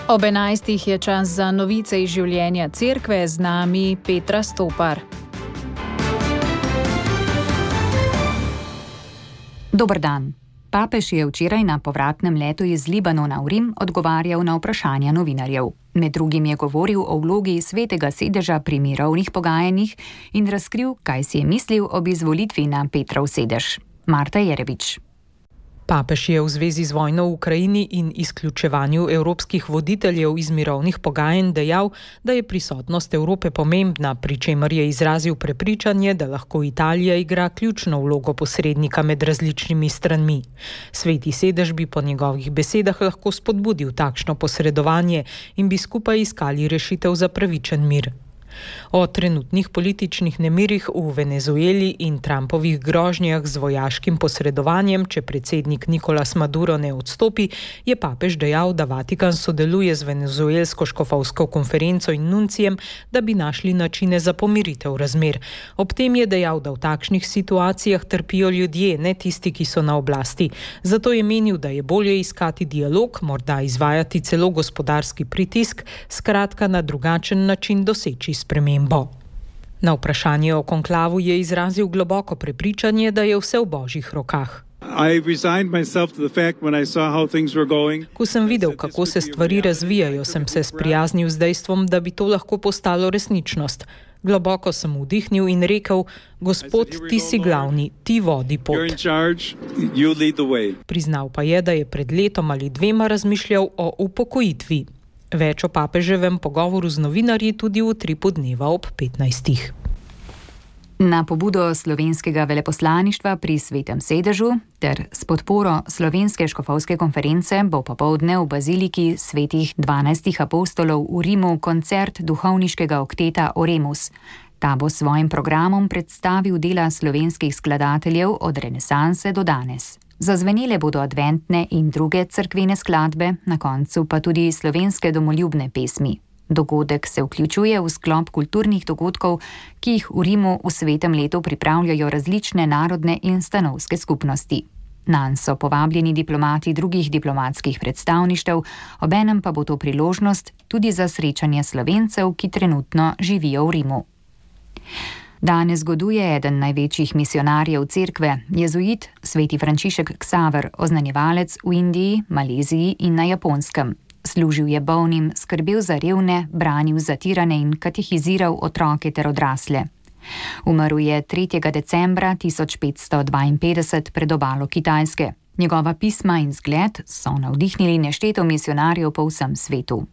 Ob 11. je čas za novice iz življenja cerkve, z nami Petra Stopar. Dober dan. Papež je včeraj na povratnem letu iz Libanona v Rim odgovarjal na vprašanja novinarjev. Med drugim je govoril o vlogi Svetega sedeža pri mirovnih pogajanjih in razkril, kaj si je mislil ob izvolitvi na Petrov sedež. Marta Jerevič. Papež je v zvezi z vojno v Ukrajini in izključevanju evropskih voditeljev iz mirovnih pogajanj dejal, da je prisotnost Evrope pomembna, pri čemer je izrazil prepričanje, da lahko Italija igra ključno vlogo posrednika med različnimi stranmi. Sveti sedež bi po njegovih besedah lahko spodbudil takšno posredovanje in bi skupaj iskali rešitev za pravičen mir. O trenutnih političnih nemirih v Venezueli in Trumpovih grožnjah z vojaškim posredovanjem, če predsednik Nicolas Maduro ne odstopi, je papež dejal, da Vatikan sodeluje z venezuelsko škofovsko konferenco in nuncijem, da bi našli načine za pomiritev razmer. Ob tem je dejal, da v takšnih situacijah trpijo ljudje, ne tisti, ki so na oblasti. Zato je menil, da je bolje iskati dialog, morda izvajati celo gospodarski pritisk, skratka na drugačen način doseči spremembo. Na vprašanje o konklavu je izrazil globoko prepričanje, da je vse v Božjih rokah. Ko sem videl, kako se stvari razvijajo, sem se sprijaznil z dejstvom, da bi to lahko postalo resničnost. Globoko sem vdihnil in rekel: Gospod, ti si glavni, ti vodi pot. Priznal pa je, da je pred letom ali dvema razmišljal o upokojitvi. Več o papeževem pogovoru z novinarji tudi v Utripu dneva ob 15. Na pobudo slovenskega veleposlaništva pri Svetem sedežu ter s podporo Slovenske škofovske konference bo popoldne v baziliki svetih 12 apostolov v Rimu koncert duhovniškega okteta Oremus. Ta bo s svojim programom predstavil dela slovenskih skladateljev od renesanse do danes. Zazvenele bodo adventne in druge cerkvene skladbe, na koncu pa tudi slovenske domoljubne pesmi. Dogodek se vključuje v sklop kulturnih dogodkov, ki jih v Rimu v svetem letu pripravljajo različne narodne in stanovske skupnosti. Nanj so povabljeni diplomati drugih diplomatskih predstavništev, obenem pa bo to priložnost tudi za srečanje Slovencev, ki trenutno živijo v Rimu. Danes goduje eden največjih misionarjev cerkve, jezuit sveti Frančišek Ksaver, oznanjevalec v Indiji, Maleziji in na Japonskem. Služil je bolnim, skrbel za revne, branil zatirane in katehiziral otroke ter odrasle. Umrl je 3. decembra 1552 pred obalo Kitajske. Njegova pisma in zgled so navdihnili nešteto misionarjev po vsem svetu.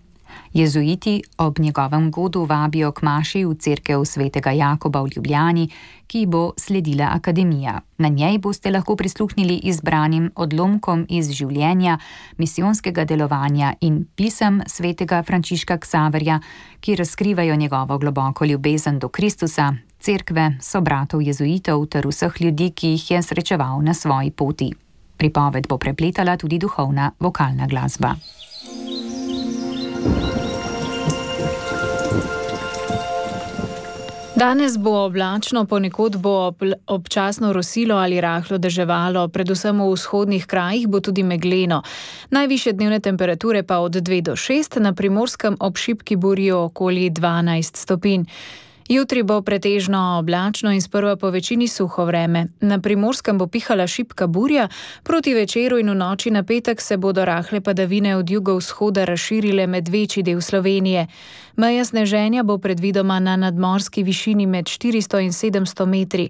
Jezuiti ob njegovem godu vabijo k maši v cerkev svetega Jakoba v Ljubljani, ki bo sledila akademija. Na njej boste lahko prisluhnili izbranim odlomkom iz življenja, misijonskega delovanja in pisem svetega Frančiška Ksaverja, ki razkrivajo njegovo globoko ljubezen do Kristusa, cerkve, sobratov jezuitov ter vseh ljudi, ki jih je srečeval na svoji poti. Pripoved bo prepletala tudi duhovna vokalna glasba. Danes bo oblačno, ponekod bo občasno rosilo ali rahlo deževalo, predvsem v vzhodnih krajih bo tudi megleno. Najvišje dnevne temperature pa od 2 do 6, na Primorskem ob šibki burji okoli 12 stopinj. Jutri bo pretežno oblačno in sprva po večini suho vreme. Na Primorskem bo pihala šibka burja, proti večeru in v noči na petek se bodo rahle padavine od jugovzhoda razširile med večji del Slovenije. Meja sneženja bo predvidoma na nadmorski višini med 400 in 700 metri.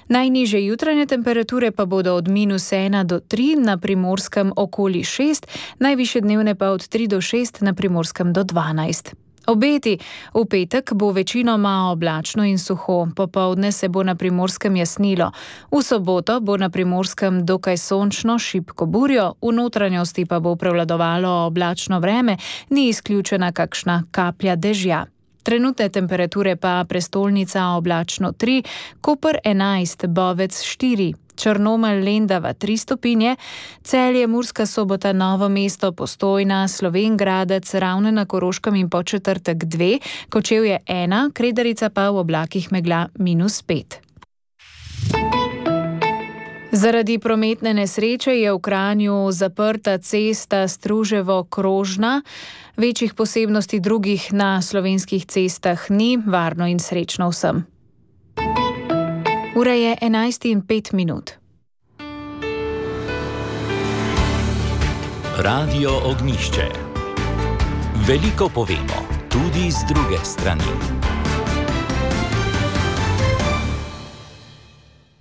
Najnižje jutranje temperature pa bodo od -1 do 3, na Primorskem okoli 6, najvišje dnevne pa od 3 do 6, na Primorskem do 12. Obeti. V petek bo večinoma oblačno in suho, popoldne se bo na Primorskem jasnilo. V soboto bo na Primorskem dokaj sončno, šibko burjo, v notranjosti pa bo prevladovalo oblačno vreme, ni izključena kakšna kaplja dežja. Trenutne temperature pa prestolnica oblačno 3, Koper 11, Bovec 4, Črnomelj, Lendava 3 stopinje, Celje, Murska Sobota, Novo mesto, Postojna, Slovenj Gradec, Ravne na Koroškem in Podčetrtek 2, Kočevje 1, Kredarica pa v oblakih megla -5. Zaradi prometne nesreče je v Kranju zaprta cesta Struževo-Krožna. Večjih posebnosti drugih na slovenskih cestah ni. Varno in srečno vsem. Ura je 11:05. Radio Ognjišče. Veliko povemo, tudi z druge strani.